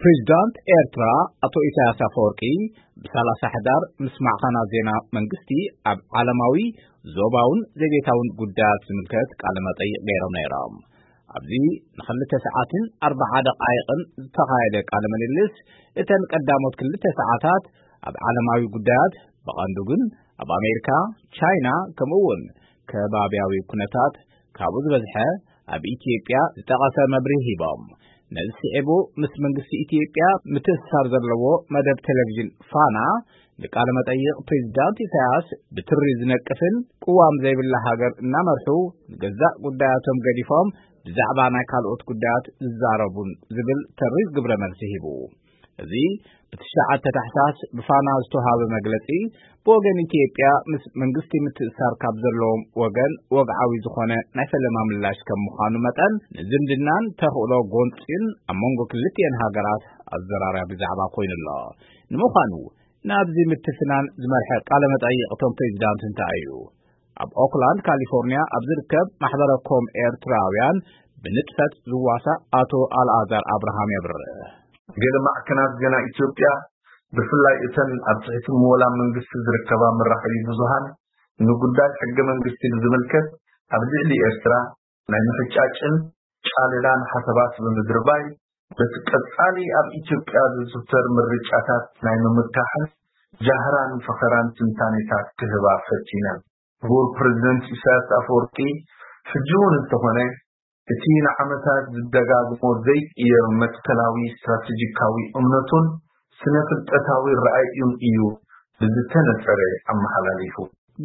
ፕሬዚዳንት ኤርትራ ኣቶ ኢሳያስ ኣፈወርቂ ብ30 ሕዳር ምስ ማዕኸናት ዜና መንግስቲ ኣብ ዓለማዊ፣ ዞባውን ዘቤታውን ጉዳያት ዝምልከት ቃለ መጠይቕ ገይሮም ነይሮም። ኣብዚ ንክልተ ሰዓትን ኣርብዓ ደቓይቕን ዝተኻየደ ቃለ ምልልስ፣ እተን ቀዳሞት ክልተ ሰዓታት ኣብ ዓለማዊ ጉዳያት፣ ብቐንዱ ግን ኣብ ኣሜሪካ፣ ቻይና፣ ከምኡ እውን ከባብያዊ ኩነታት፣ ካብኡ ዝበዝሐ ኣብ ኢትዮጵያ ዝጠቐሰ መብርሂ ሂቦም። ነዚ ስዒቡ ምስ መንግስቲ ኢትዮጵያ ምትእስሳር ዘለዎ መደብ ቴሌቪዥን ፋና ንቃለ መጠይቕ ፕሬዚዳንት ኢሳያስ ብትሪ ዝነቅፍን ቅዋም ዘይብላ ሃገር እናመርሑ ንገዛእ ጉዳያቶም ገዲፎም ብዛዕባ ናይ ካልኦት ጉዳያት ዝዛረቡን ዝብል ተሪር ግብረ መልሲ ሂቡ። እዚ ብ9 ታሕሳስ ብፋና ዝተዋሃበ መግለጺ፣ ብወገን ኢትዮጵያ ምስ መንግስቲ ምትእሳር ካብ ዘለዎም ወገን ወግዓዊ ዝኾነ ናይ ፈለማ ምላሽ ከም ምዃኑ መጠን፣ ንዝምድናን ተኽእሎ ጎንጺን ኣብ መንጎ ክልቲኤን ሃገራት ኣዘራራቢ ዛዕባ ኮይኑ ኣሎ። ንምዃኑ፣ ናብዚ ምትፍናን ዝመርሐ ቃለ መጠይቕ እቶም ፕሬዚዳንት እንታይ እዩ? ኣብ ኦክላንድ ካሊፎርኒያ ኣብ ዝርከብ ማሕበረ ኮም ኤርትራውያን ብንጥፈት ዝዋሳእ ኣቶ ኣልኣዛር ኣብርሃም የብርህ። ገለ ማዕከናት ዜና ኢትዮጵያ፣ ብፍላይ እተን ኣብ ትሕቲ ምወላ መንግስቲ ዝርከባ መራኸቢ ብዙሃን፣ ንጉዳይ ሕገ መንግስቲ ብዝምልከት ኣብ ልዕሊ ኤርትራ ናይ ምሕጫጭን ጫለላን ሓሳባት ብምድርባይ፣ በቲ ቀጻሊ ኣብ ኢትዮጵያ ዝዝውተር ምርጫታት ናይ ምምካሕን ጃህራን ፈኸራን ትንታኔታት ክህባ ፈቲነን። ክቡር ፕሬዚደንት ኢሳያስ ኣፈወርቂ፣ ሕጂ እውን እንተኾነ፣ እቲ ንዓመታት ዝደጋግሞ ዘይቅየር መትከላዊ ስትራቴጂካዊ እምነቱን ስነ ፍልጠታዊ ረኣዩን እዩ ብዝተነጸረ ኣመሓላሊፉ።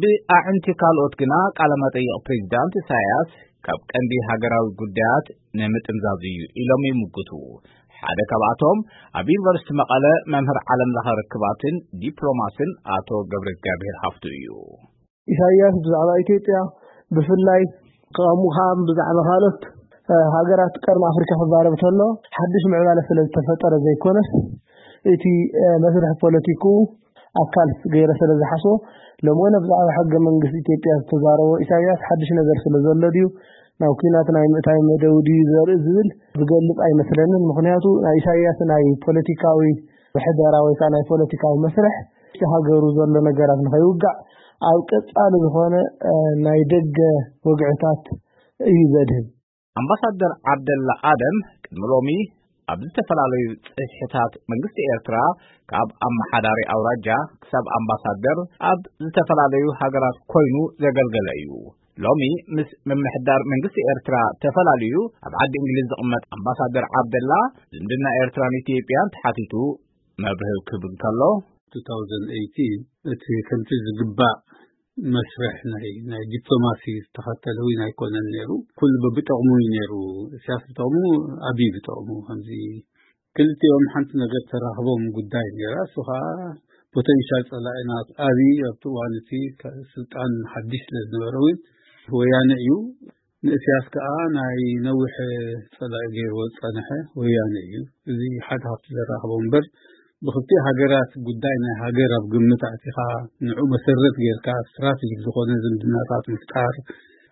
ብኣዕንቲ ካልኦት ግና፣ ቃለ መጠይቕ ፕሬዚዳንት ኢሳያስ ካብ ቀንዲ ሃገራዊ ጉዳያት ንምጥምዛዝ እዩ ኢሎም ይምግቱ። ሓደ ካብኣቶም፣ ኣብ ዩኒቨርሲቲ መቐለ መምህር ዓለም ለኸ ርክባትን ዲፕሎማስን ኣቶ ገብረ እግዚኣብሔር ሃፍቱ እዩ። ኢሳያስ ብዛዕባ ኢትዮጵያ፣ ብፍላይ ከምኡ ከዓ ብዛዕባ ካልኦት፣ እ፣ ሃገራት ቀርኒ ኣፍሪካ ክዛረብ ከሎ፣ ሓድሽ ምዕባለ ስለ ዝተፈጠረ ዘይኮነስ፣ እቲ፣ እ፣ መስርሕ ፖለቲኩ ኣካል ገይረ ስለ ዝሓስቦ፣ ሎሚ እውን ብዛዕባ ሕገ መንግስቲ ኢትዮጵያ ዝተዛረቦ ኢሳያስ ሓድሽ ነገር ስለ ዘሎ ድዩ፣ ናብ ኲናት ናይ ምእታይ መደቡ ድዩ ዘርኢ ዝብል ዝገልጽ ኣይመስለንን። ምኽንያቱ ናይ ኢሳያስ ናይ ፖለቲካዊ ምሕደራ ወይ ከዓ ናይ ፖለቲካዊ መስርሕ፣ እቲ ሃገሩ ዘሎ ነገራት ንኸይውጋዕ ኣብ ቀጻሊ ዝኾነ፣ እ፣ ናይ ደገ ወግዕታት እዩ ዘድህብ። ኣምባሳደር ዓብደላ ኣደም ቅድሚ ሎሚ ኣብ ዝተፈላለዩ ጽፍሕታት መንግስቲ ኤርትራ፣ ካብ ኣመሓዳሪ ኣውራጃ ክሳብ ኣምባሳደር፣ ኣብ ዝተፈላለዩ ሃገራት ኮይኑ ዘገልገለ እዩ። ሎሚ ምስ ምምሕዳር መንግስቲ ኤርትራ ተፈላልዩ ኣብ ዓዲ እንግሊዝ ዝቕመጥ ኣምባሳደር ዓብደላ፣ ዝምድና ኤርትራን ኢትዮጵያን ተሓቲቱ መብርሂ ክህብ እንከሎ፣ two thousand eighteen እቲ ከምቲ ዝግባእ መስርሕ ናይ፣ ናይ ዲፕሎማሲ ዝተኸተለ እውን ኣይኮነን ነይሩ። ኩሉ በብጠቕሙ እዩ ነይሩ። ኢሳያስ ብጠቕሙ፣ ኣብይ ብጠቕሙ። ከምዚ ክልቲኦም ሓንቲ ነገር ተራኽቦም ጉዳይ ነይራ። እሱ ከዓ ፖቴንሻል ጸላኢና ኣብይ ኣብቲ እዋን እቲ ከ-፣ ስልጣን ሓድሽ ስለ ዝነበረ እውን ወያነ እዩ። ንእስያስ ከኣ ናይ ነዊሕ ጸላኢ ገይርዎ ዝጸንሐ ወያነ እዩ። እዚ ሓደ ካብቲ ዘራኽቦ እምበር፣ ብኽልቲኡ ሃገራት ጉዳይ ናይ ሃገር ኣብ ግምት ኣእቲኻ፣ ንዑ መሰረት ጌርካ ስትራቴጂክ ዝኾነ ዝምድናታት ምፍጣር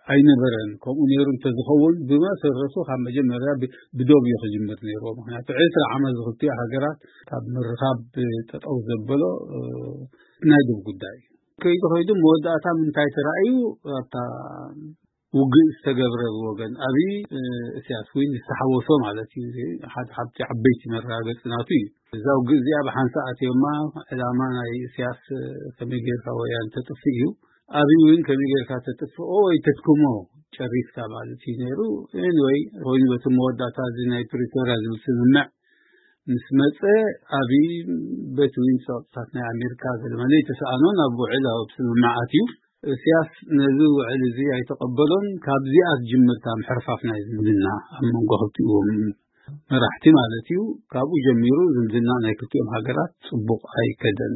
ኣይነበረን። ከምኡ ነይሩ እንተዝኸውን፣ ብመሰረቱ ካብ መጀመርያ ብ-፣ ብዶብ እዩ ክጅምር ነይርዎ። ምኽንያቱ ዕስራ ዓመት ዝኽልቲኡ ሃገራት ካብ ምርኻብ ጠጠው ዘበሎ፣ እ፣ ናይ ዶብ ጉዳይ እዩ። ከይዱ ከይዱ መወዳእታ ምንታይ ተራእዩ? ኣብታ ውግእ ዝተገብረ ብወገን ኣብይ፣ እ፣ እስያስ ዊን ዝተሓወሶ ማለት እዩ። እዚ ሓደ ካብቲ ዓበይቲ መረጋገጽ ናቱ እዩ። እዛ ውግእ እዚኣ ብሓንሳእ ኣትዮማ፣ ዕላማ ናይ እስያስ፣ እ፣ ከመይ ጌርካ ወያን ተጥፍእ እዩ። ኣብይ ዊን ከመይ ጌርካ ተጥፍኦ ወይ ተድክሞ ጨሪስካ ማለት እዩ ነይሩ። ኤኒወይ፣ ኮይኑ በቲ መወዳእታ እዚ ናይ ፕሪቶርያ ዝብል ስምምዕ ምስ መጸ፣ ኣብይ በቲ ዊን ጸቕጥታት ናይ ኣሜሪካ ገለመለ ይተሰኣኖ ናብ ውዕል ኣብ ስምምዕ ኣትዩ። እስያስ ነዚ ውዕል እዚ ኣይተቐበሎን። ካብዚኣ ትጅምር እታ ምሕርፋፍ ናይ ዝምድና ኣብ መንጎ ክልቲኦም መራሕቲ ማለት እዩ። ካብኡ ጀሚሩ ዝምድና ናይ ክልቲኦም ሃገራት ጽቡቕ ኣይከደን።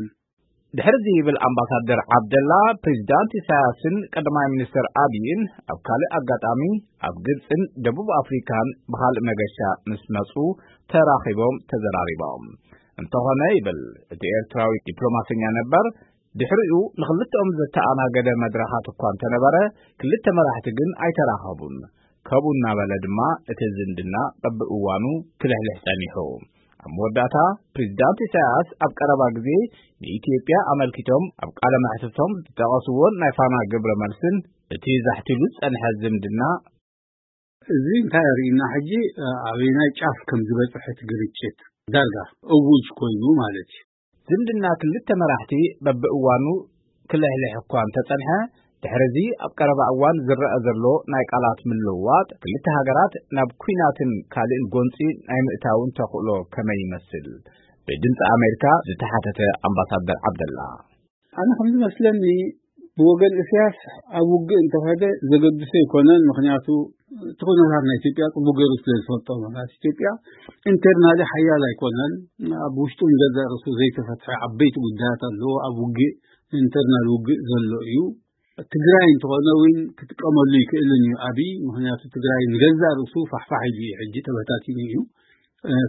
ድሕሪ እዚ ይብል ኣምባሳደር ዓብደላ፣ ፕሬዚዳንት ኢሳያስን ቀዳማይ ሚኒስትር ኣብይን ኣብ ካልእ ኣጋጣሚ ኣብ ግብፅን ደቡብ ኣፍሪካን ብኻልእ መገሻ ምስ መፁ ተራኺቦም ተዘራሪቦም። እንተኾነ ይብል እቲ ኤርትራዊ ዲፕሎማሰኛ ነበር፣ ድሕሪኡ ንኽልተኦም ዘተኣናገደ መድረኻት እኳ እንተነበረ፣ ክልተ መራሕቲ ግን ኣይተራኸቡን። ከምኡ እናበለ ድማ እቲ ዝምድና በብእዋኑ ክልሕልሕ ጸኒሑ። ኣብ መወዳእታ፣ ፕሬዚዳንት ኢሳያስ ኣብ ቀረባ ግዜ ንኢትዮጵያ ኣመልኪቶም ኣብ ቃለ መሕትቶም ዝጠቐስዎን ናይ ፋና ግብረ መልስን እቲ ዛሕቲሉ ዝጸንሐ ዝምድና፣ እዚ እንታይ የርእየና? ሕጂ ኣበየናይ ጫፍ ከም ዝበጽሐ እቲ ግርጭት ዳርጋ እውጅ ኮይኑ ማለት እዩ። ዝምድና ክልተ መራሕቲ በብእዋኑ ክልሕልሕ እኳ እንተጸንሐ፣ ድሕሪ እዚ ኣብ ቀረባ እዋን ዝረኣ ዘሎ ናይ ቃላት ምልውዋጥ፣ ክልተ ሃገራት ናብ ኲናትን ካልእን ጎንጺ ናይ ምእታውን ተኽእሎ ከመይ ይመስል? ብድምጺ ኣሜሪካ ዝተሓተተ ኣምባሳደር ዓብደላ። ኣነ ከም ዝመስለኒ፣ ብወገን እስያስ ኣብ ውግእ እንተኸደ ዘገድሶ ኣይኮነን። ምኽንያቱ እቲ ኩነታት ናይ ኢትዮጵያ ጽቡቅ ገይሩ ስለ ዝፈልጦ፣ ማለት ኢትዮጵያ ኢንተርናሊ ሓያል ኣይኮነን። ኣብ ውሽጡ ንገዛእ ርእሱ ዘይተፈትሐ ዓበይቲ ጉዳያት ኣለዎ። ኣብ ውግእ ኢንተርናል ውግእ ዘሎ እዩ። ትግራይ እንተኾነ እውን ክጥቀመሉ ይክእልን እዩ ኣብይ። ምኽንያቱ ትግራይ ንገዛእ ርእሱ ፋሕፋሕ ኢሉ እዩ፣ ሕጂ ተበታቲኑ እዩ።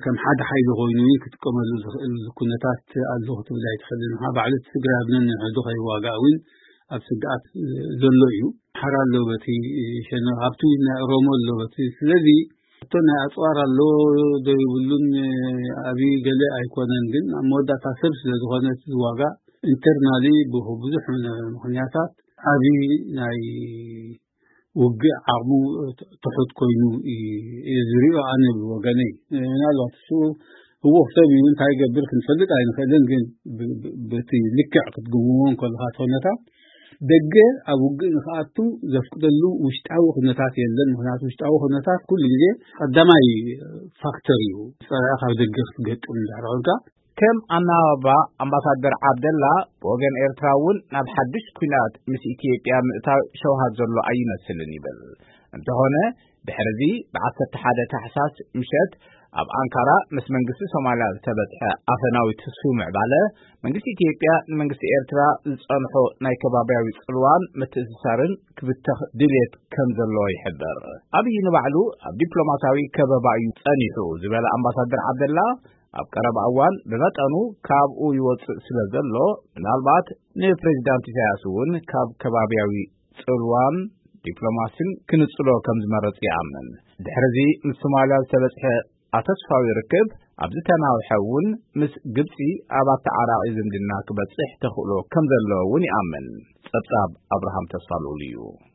ከም ሓደ ሓይሊ ኮይኑ እውን ክጥቀመሉ ዝኽእል ኩነታት ኣሎ ክትብል ኣይትኽእልን ኢኻ። ባዕሉ እቲ ትግራይ ኣብ ነንሕዱ ከይዋጋእ እውን ኣብ ስግኣት ዘሎ እዩ። ሓራ ኣሎ በቲ ሸነ ሃብቲ ናይ ኦሮሞ ኣሎ በቲ። ስለዚ እቶ ናይ ኣፅዋር ኣሎ ዶ ይብሉን፣ ኣብይ ገለ ኣይኮነን። ግን ኣብ መወዳእታ ሰብ ስለ ዝኾነ እቲ ዝዋጋእ ኢንተርናሊ ብብዙሕ ምኽንያታት ኣብይ ናይ ውግእ ዓቕሙ ትሑት ኮይኑ እዩ ዝሪኦ ኣነ ብወገነይ። ምናልባት እሱ ህወኽ ሰብ እዩ፣ እንታይ ይገብር ክንፈልጥ ኣይንኽእልን። ግን ብ-፣ ብ-፣ በቲ ልክዕ ክትግምዎ እንከለኻ እቲ ኩነታት ደገ ኣብ ውግእ ንኽኣቱ ዘፍቅደሉ ውሽጣዊ ኩነታት የለን። ምኽንያቱ ውሽጣዊ ኩነታት ኩሉ ግዜ ቀዳማይ ፋክተር እዩ። ጸላኢ ካብ ደገ ክትገጥም እንድሕር ኮንካ ከም ኣናባባ ኣምባሳደር ዓብደላ፣ ብወገን ኤርትራ እውን ናብ ሓድሽ ኲናት ምስ ኢትዮጵያ ምእታው ሸውሃት ዘሎ ኣይመስልን ይብል። እንተኾነ፣ ድሕርዚ ብ ዓሰርተ ሓደ ታሕሳስ ምሸት ኣብ ኣንካራ ምስ መንግስቲ ሶማልያ ዝተበጽሐ ኣፈናዊ ትስፉ ምዕባለ፣ መንግስቲ ኢትዮጵያ ንመንግስቲ ኤርትራ ዝጸንሖ ናይ ከባብያዊ ጽልዋን ምትእስሳርን ክብተኽ ድልየት ከም ዘለዎ ይሕበር። ኣብይ ንባዕሉ ኣብ ዲፕሎማሲያዊ ከበባ እዩ ጸኒሑ ዝበለ ኣምባሳደር ዓብደላ፣ ኣብ ቀረባ እዋን ብመጠኑ ካብኡ ይወጽእ ስለ ዘሎ፣ ምናልባት ንፕሬዚዳንት ኢሳያስ እውን ካብ ከባብያዊ ጽልዋን ዲፕሎማሲን ክንጽሎ ከም ዝመረጽ ይኣምን። ድሕርዚ ምስ ሶማልያ ዝተበጽሐ ኣተስፋዊ ርክብ፣ ኣብ ዝተናውሐ እውን ምስ ግብጺ ኣብ ኣተዓራቒ ዝምድና ክበጽሕ ተኽእሎ ከም ዘለዎ እውን ይኣምን። ጸብጻብ ኣብርሃም ተስፋ ልኡል እዩ።